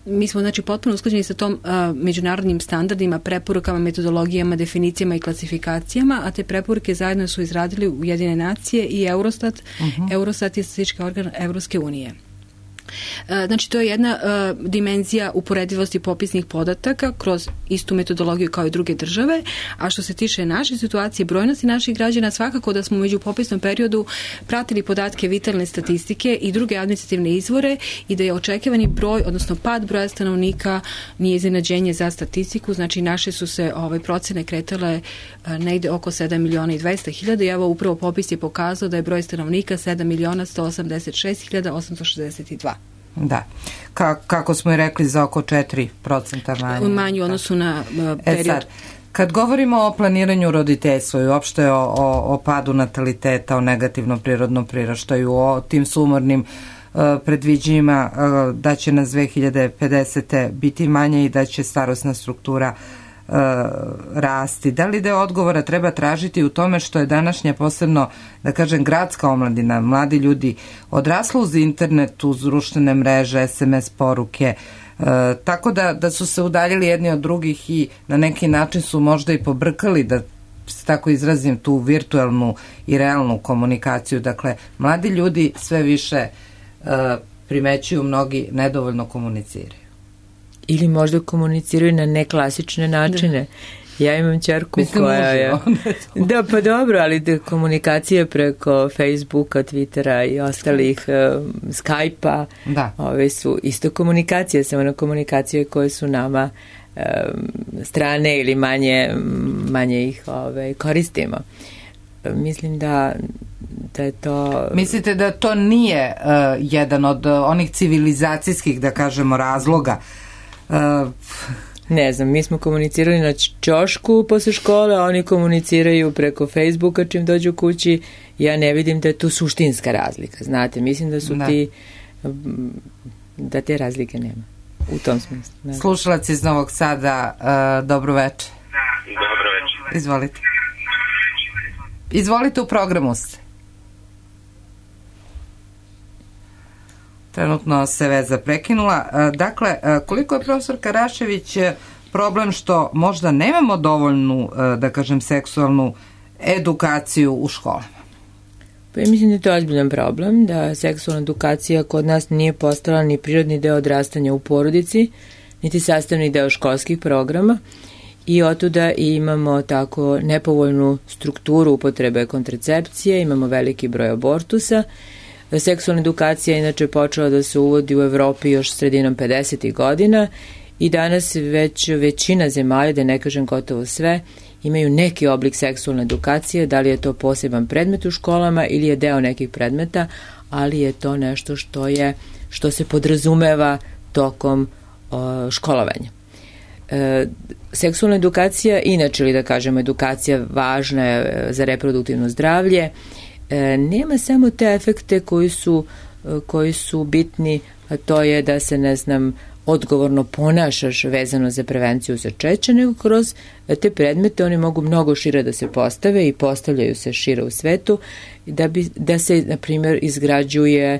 Mi smo znači potpuno usklađeni sa tom međunarodnim standardima, preporukama, metodologijama, definicijama i klasifikacijama, a te preporuke zajedno su izradili Ujedinjene nacije i Eurostat. Eurostat je statistički organ Evropske unije. Znači, to je jedna dimenzija uporedivosti popisnih podataka kroz istu metodologiju kao i druge države, a što se tiče naše situacije, brojnosti naših građana, svakako da smo među popisnom periodu pratili podatke vitalne statistike i druge administrativne izvore i da je očekivani broj, odnosno pad broja stanovnika nije iznenađenje za statistiku, znači naše su se procene kretale negde oko 7.200.000 i evo upravo popis je pokazao da je broj stanovnika 7.186.862. Da. Kako smo i rekli, za oko 4% manje. Manji u odnosu na period. Sad, kad govorimo o planiranju roditeljstva i uopšte o padu nataliteta, o negativnom prirodnom priraštaju, o tim sumornim predviđenjima da će nas 2050. biti manje i da će starosna struktura rasti. Da li deo odgovora treba tražiti u tome što je današnja posebno, da kažem, gradska omladina, mladi ljudi odrasla uz internet, uz društvene mreže, SMS poruke, tako da su se udaljili jedni od drugih i na neki način su možda i pobrkali, da se tako izrazim, tu virtualnu i realnu komunikaciju. Dakle, mladi ljudi sve više primećuju, mnogi nedovoljno komuniciraju. Ili možda komuniciraju na neklasične načine. Da. Ja imam ćerku koja je... Da, pa dobro, ali komunikacije preko Facebooka, Twittera i ostalih Skype-a, ove su isto komunikacije, samo na komunikacije koje su nama strane ili manje ih koristimo. Mislim da je to... Mislite da to nije jedan od onih civilizacijskih, da kažemo, razloga? Ne znam, mi smo komunicirali na ćošku posle škole, a oni komuniciraju preko Facebooka čim dođu kući. Ja ne vidim da je tu suštinska razlika. Znate, mislim da su da te razlike nema. U tom smislu. Ne. Slušalac iz Novog Sada, dobro večer. Dobro večer. Izvolite. Izvolite, u programu ste. Trenutno se veza prekinula. Dakle, koliko je profesor Karašević problem što možda nemamo dovoljnu, da kažem, seksualnu edukaciju u školama? Pa ja mislim da je to ozbiljan problem, da seksualna edukacija kod nas nije postala ni prirodni deo odrastanja u porodici, niti sastavni deo školskih programa i otuda imamo tako nepovoljnu strukturu upotrebe kontracepcije, imamo veliki broj abortusa. Seksualna edukacija inače počela da se uvodi u Evropi još sredinom 50. godina i danas već većina zemalja, da ne kažem gotovo sve, imaju neki oblik seksualne edukacije, da li je to poseban predmet u školama ili je deo nekih predmeta, ali je to nešto što se podrazumeva tokom školovanja. Seksualna edukacija, inače ili da kažemo edukacija važna je za reproduktivno zdravlje, nema samo te efekte koji su bitni, a to je da se, odgovorno ponašaš vezano za prevenciju začeća, nego kroz te predmete oni mogu mnogo šire da se postave i postavljaju se šire u svetu, da se, na primjer, izgrađuje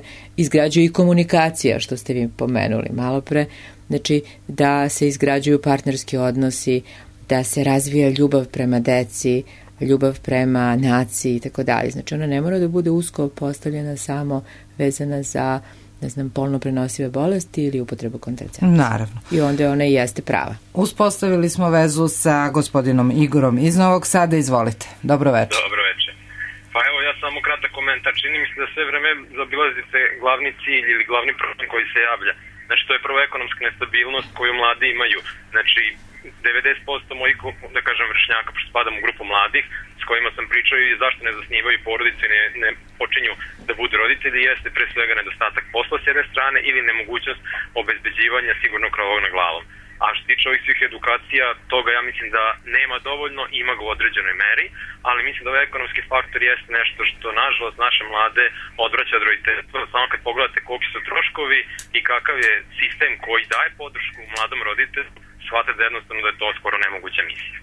i komunikacija, što ste vi pomenuli malo pre, znači da se izgrađuju partnerski odnosi, da se razvija ljubav prema deci, ljubav prema naciji i tako dalje. Znači ona ne mora da bude usko postavljena samo vezana za polno prenosive bolesti ili upotrebu kontracepcije. Naravno. I onda ona i jeste prava. Uspostavili smo vezu sa gospodinom Igorom iz Novog Sada. Izvolite. Dobro večer. Dobro večer. Pa evo ja samo kratak komentar. Čini mi se da sve vreme zaobilazite glavni cilj ili glavni problem koji se javlja. Znači to je prvo ekonomska nestabilnost koju mladi imaju. Znači 90% mojih, da kažem, vršnjaka, pošto spadam u grupu mladih, s kojima sam pričao i zašto ne zasnivaju porodice i ne počinju da budu roditelji, jeste pre svega nedostatak posla s jedne strane ili nemogućnost obezbeđivanja sigurnog krovog nad glavom. A što se tiče ovih svih edukacija, toga ja mislim da nema dovoljno, ima ga u određenoj meri, ali mislim da ovaj ekonomski faktor jeste nešto što, nažalost, naše mlade odvraća od roditeljstva. Samo kad pogledate koliki su troškovi i kakav je sistem koji daje podršku mladom roditelju, shvatite jednostavno da je to skoro nemoguća misija.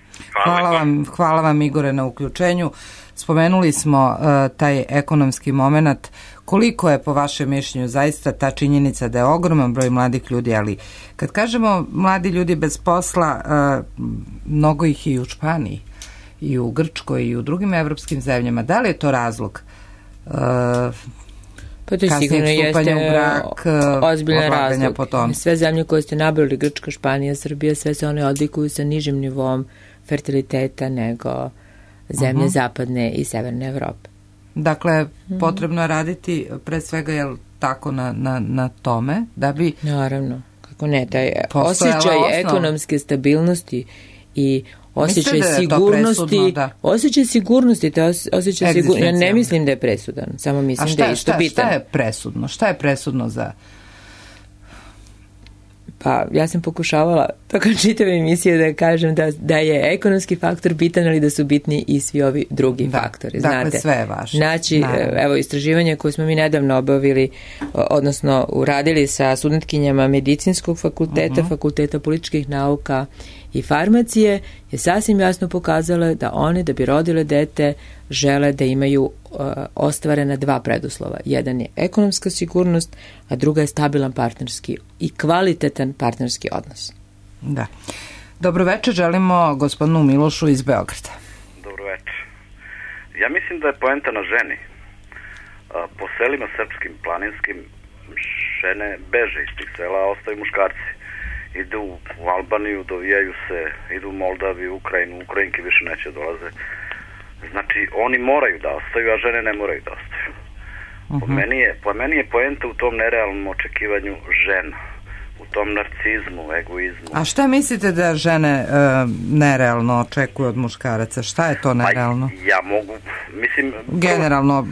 Hvala vam Igore na uključenju. Spomenuli smo taj ekonomski moment. Koliko je po vašem mišljenju zaista ta činjenica da je ogroman broj mladih ljudi, ali kad kažemo mladi ljudi bez posla, mnogo ih i u Španiji, i u Grčkoj, i u drugim evropskim zemljama. Da li je to razlog? Pa to sigurno jeste ozbiljan razlog. Sve zemlje koje ste nabrali, Grčka, Španija, Srbija, sve se one odlikuju sa nižim nivom fertiliteta nego zemlje zapadne i severne Evrope. Dakle, potrebno je raditi pre svega, jel tako, na tome da bi... Naravno, kako ne, taj osjećaj ekonomske stabilnosti i osjećaj sigurnosti, osjećaj sigurnosti, ja ne mislim da je presudan, samo mislim da je isto bitan. A šta je presudno? Šta je presudno za... Pa ja sam pokušavala tokom čitave emisije da kažem da je ekonomski faktor bitan, ali da su bitni i svi ovi drugi faktori. Dakle, sve je važno. Znači, evo, istraživanje koje smo mi nedavno obavili, odnosno uradili sa studentkinjama medicinskog fakulteta, fakulteta političkih nauka i farmacije, je sasvim jasno pokazala da one, da bi rodile dete, žele da imaju ostvarena dva preduslova. Jedan je ekonomska sigurnost, a druga je stabilan partnerski i kvalitetan partnerski odnos. Da. Dobro večer, želimo gospodinu Milošu iz Beograda. Dobro večer. Ja mislim da je poenta na ženi. Po selima srpskim, planinskim, žene beže iz tih sela, a ostaju muškarci. Idu u Albaniju, dovijaju se, idu u Moldaviju, Ukrajinu, Ukrajinke više neće dolaze. Znači, oni moraju da ostaju, a žene ne moraju da ostaju. Po meni je poenta u tom nerealnom očekivanju žena, u tom narcizmu, egoizmu. A šta mislite da žene nerealno očekuju od muškaraca? Šta je to nerealno? Ja mogu, mislim... Generalno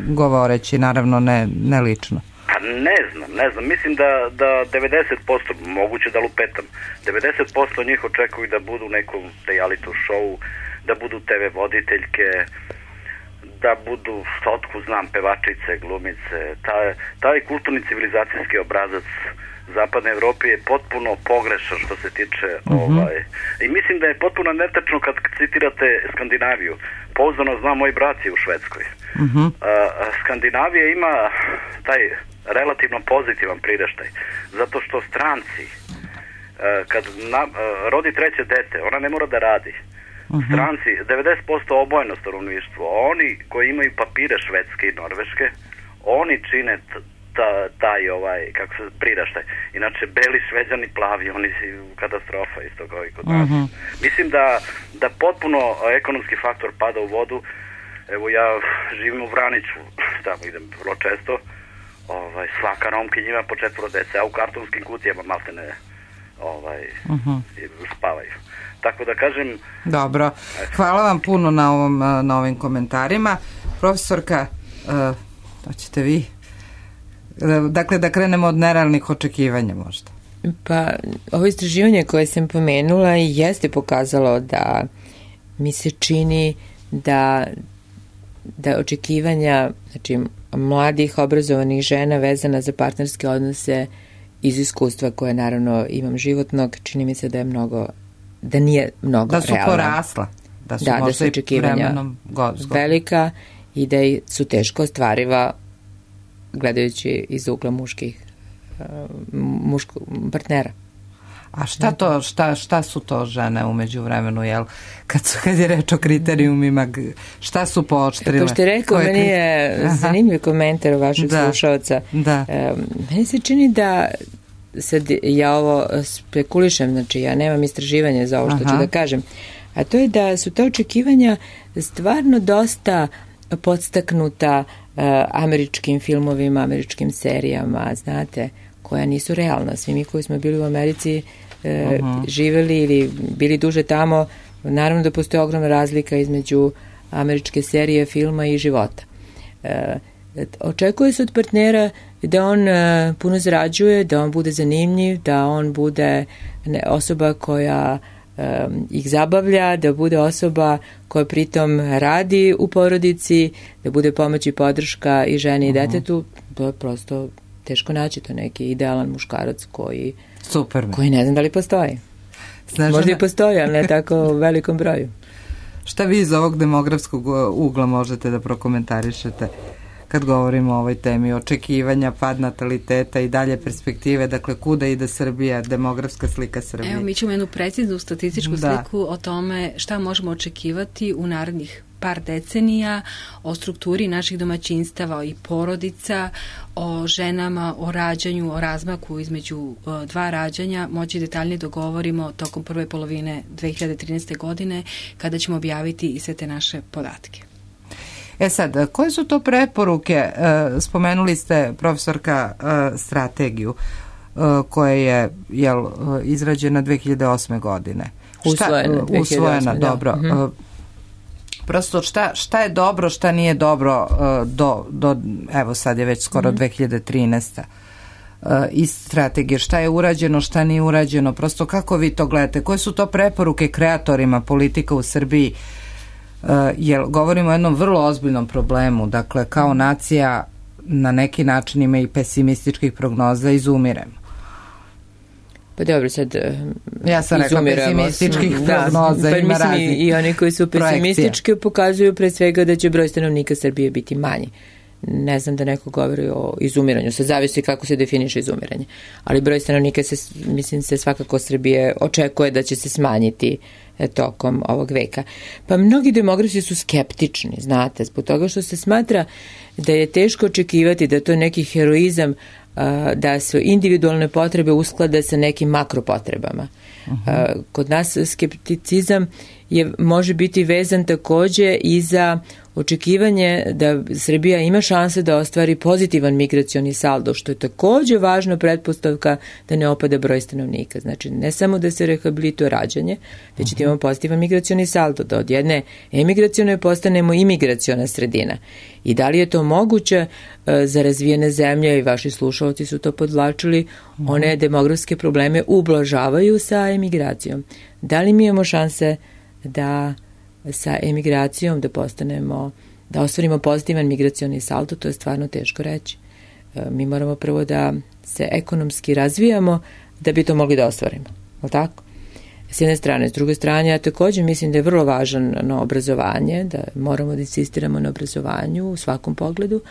govoreći, naravno ne lično. Pa ne znam, mislim da 90%, moguće da lupetam, 90% njih očekuju da budu u nekom reality show, da budu TV voditeljke, da budu, otku znam, pevačice, glumice. Taj kulturni civilizacijski obrazac Zapadne Evrope je potpuno pogrešan što se tiče i mislim da je potpuno netačno kad citirate Skandinaviju. Pouzdano znam, moj brat je u Švedskoj. Skandinavija ima taj relativno pozitivan priraštaj, zato što stranci kad rodi treće dete, ona ne mora da radi. Stranci, 90% obojeno stanovništvo, oni koji imaju papire Švedske i Norveške, oni čine taj kako se priraštaj. Inače, beli Šveđani, plavi, oni su katastrofa isto kao i kod nas. Mislim da potpuno ekonomski faktor pada u vodu. Evo, ja živim u Vraniću, tamo idem vrlo često. Svaka Romkinja ima po 4 dece, a u kartonskim kutijama maltene spavaju. Tako da kažem... Dobro, hvala vam puno na ovim komentarima. Profesorka, to ćete vi. Dakle, da krenemo od nerealnih očekivanja možda. Pa, ovo istraživanje koje sam pomenula jeste pokazalo da mi se čini da očekivanja, znači, mladih obrazovanih žena vezana za partnerske odnose iz iskustva koje naravno imam životnog, čini mi se da nije mnogo realna. Da su porasla. Da su očekivanja velika i da su teško ostvariva gledajući iz ugla muškog partnera. A šta su to žene umeđu vremenu, jel? Kad je reč o kriterijumima, šta su pooštrile? Pošto je rekao, meni je zanimljiv komentar vašeg slušalca. Meni se čini da sad ja ovo spekulišem, znači ja nemam istraživanja za ovo što ću da kažem, a to je da su ta očekivanja stvarno dosta podstaknuta američkim filmovima, američkim serijama, znate, koja nisu realna. Svi mi koji smo bili u Americi živeli ili bili duže tamo, naravno da postoji ogromna razlika između američke serije, filma i života. Očekuje se od partnera da on puno zarađuje, da on bude zanimljiv, da on bude osoba koja ih zabavlja, da bude osoba koja pritom radi u porodici, da bude pomoć i podrška i ženi i detetu. To je prosto teško naći, to neki idealan muškarac koji ne znam da li postoji. Možda i postoji, ali ne tako u velikom broju. Šta vi iz ovog demografskog ugla možete da prokomentarišete kad govorimo o ovoj temi, očekivanja, pad nataliteta i dalje perspektive, dakle kuda ide Srbija, demografska slika Srbije? Evo, mi ćemo jednu preciznu statističku sliku o tome šta možemo očekivati u narednih par decenija, o strukturi naših domaćinstava i porodica, o ženama, o rađanju, o razmaku između dva rađanja, moći detaljnije dogovorimo tokom prve polovine 2013. godine, kada ćemo objaviti i sve te naše podatke. Sad, koje su to preporuke? Spomenuli ste, profesorka, strategiju koja je izrađena 2008. godine. Usvojena, dobro. Prosto šta je dobro, šta nije dobro do evo sad je već skoro 2013. Iz strategije, šta je urađeno, šta nije urađeno, prosto kako vi to gledate? Koje su to preporuke kreatorima politika u Srbiji? Jer govorimo o jednom vrlo ozbiljnom problemu, dakle kao nacija na neki način ima i pesimističkih prognoza, izumiremo. Pa dobro, sad ja sam rekla pesimističkih prognoza, ima raznih i oni koji su pesimistički pokazuju pre svega da će broj stanovnika Srbije biti manji. Ne znam da neko govori o izumiranju, sad zavisi kako se definiše izumiranje, ali broj stanovnika se svakako Srbije očekuje da će se smanjiti tokom ovog veka. Pa mnogi demografi su skeptični, znate, zbog toga što se smatra da je teško očekivati da to je neki heroizam, da se individualne potrebe usklade sa nekim makropotrebama. Kod nas skepticizam može biti vezan takođe i za očekivanje da Srbija ima šanse da ostvari pozitivan migracioni saldo, što je takođe važna pretpostavka da ne opada broj stanovnika. Znači, ne samo da se rehabilituje rađanje, već da imamo pozitivan migracioni saldo, da od jedne emigracione postanemo imigraciona sredina. I da li je to moguće za razvijene zemlje, i vaši slušalci su to podvlačili, one demografske probleme ublažavaju sa emigracijom. Da li mi imamo šanse da sa emigracijom da ostvarimo pozitivan migracioni saldo, to je stvarno teško reći. Mi moramo prvo da se ekonomski razvijamo da bi to mogli da ostvarimo. Je tako? S jedne strane. S druge strane, ja također mislim da je vrlo važno obrazovanje, da moramo da insistiramo na obrazovanju u svakom pogledu,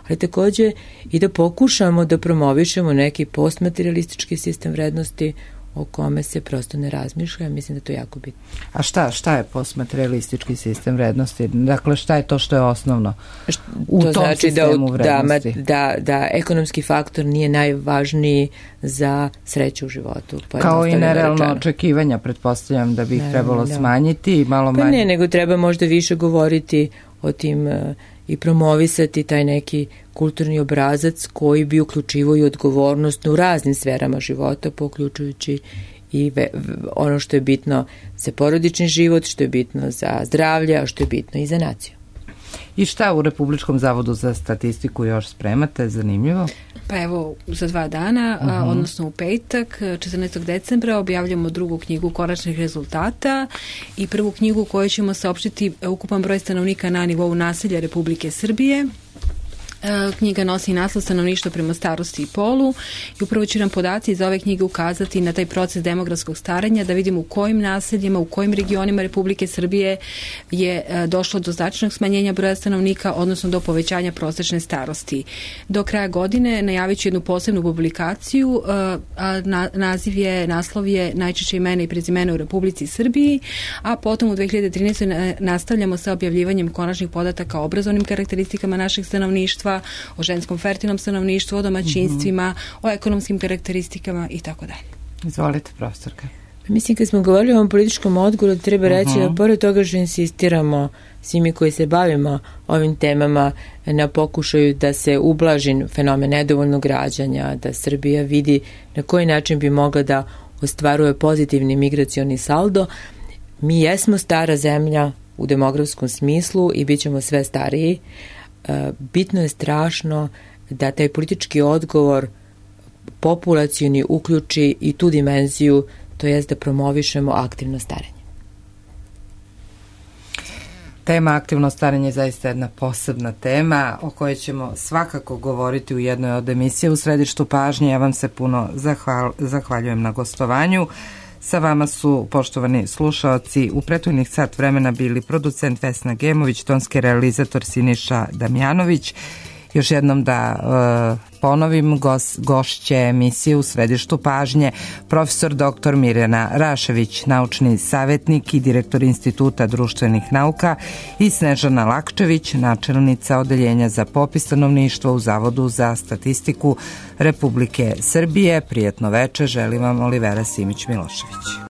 ali također i da pokušamo da promovišemo neki postmaterialistički sistem vrednosti o kome se prosto ne razmišlja. Mislim da to je jako bitno. A šta je postmaterialistički sistem vrednosti? Dakle, šta je to što je osnovno u to tom znači sistemu vrednosti? Da ekonomski faktor nije najvažniji za sreću u životu. Kao i nerealno očekivanja, pretpostavljam da bi ih trebalo smanjiti i malo manje. Pa ne, nego treba možda više govoriti o tim i promovisati taj neki kulturni obrazac koji bi uključivao i odgovornost u raznim sferama života, uključujući i ono što je bitno za porodični život, što je bitno za zdravlje, a što je bitno i za naciju. I šta u Republičkom zavodu za statistiku još spremate? Zanimljivo. Pa evo, za 2 dana, odnosno u petak, 14. decembra, objavljamo drugu knjigu konačnih rezultata i prvu knjigu koju ćemo saopštiti ukupan broj stanovnika na nivou naselja Republike Srbije. Knjiga nosi naslov Stanovništvo prema starosti i polu i upravo će nam podaci iz ove knjige ukazati na taj proces demografskog staranja, da vidimo u kojim naseljima, u kojim regionima Republike Srbije je došlo do značajnog smanjenja broja stanovnika, odnosno do povećanja prosečne starosti. Do kraja godine najavit ću jednu posebnu publikaciju, a naslov je Najčešće imena i prezimena u Republici Srbiji, a potom u 2013. nastavljamo sa objavljivanjem konačnih podataka o obrazovnim karakteristikama našeg stanovništva, o ženskom fertilnom stanovništvu, o domaćinstvima, o ekonomskim karakteristikama i tako dalje. Izvolite, profesorka. Mislim, kad smo govorili o ovom političkom odgovoru, treba reći da pored toga što insistiramo svi mi koji se bavimo ovim temama na pokušaju da se ublaži fenomen nedovoljnog rađanja, da Srbija vidi na koji način bi mogla da ostvaruje pozitivni migracioni saldo. Mi jesmo stara zemlja u demografskom smislu i bit ćemo sve stariji. Bitno je strašno da taj politički odgovor populacioni uključi i tu dimenziju, to jest da promovišemo aktivno starenje. Tema aktivno starenje je zaista jedna posebna tema o kojoj ćemo svakako govoriti u jednoj od emisija u središtu pažnje. Ja vam se puno zahvaljujem na gostovanju. Sa vama su, poštovani slušaoci, u prethodnih sat vremena bili producent Vesna Gemović, tonski realizator Siniša Damjanović. Još jednom da ponovim, gošće emisije u središtu pažnje, profesor dr. Mirjana Rašević, naučni savjetnik i direktor Instituta društvenih nauka, i Snežana Lakčević, načelnica Odeljenja za popis stanovništva u Zavodu za statistiku Republike Srbije. Prijetno veče, želim vam Olivera Simić Milošević.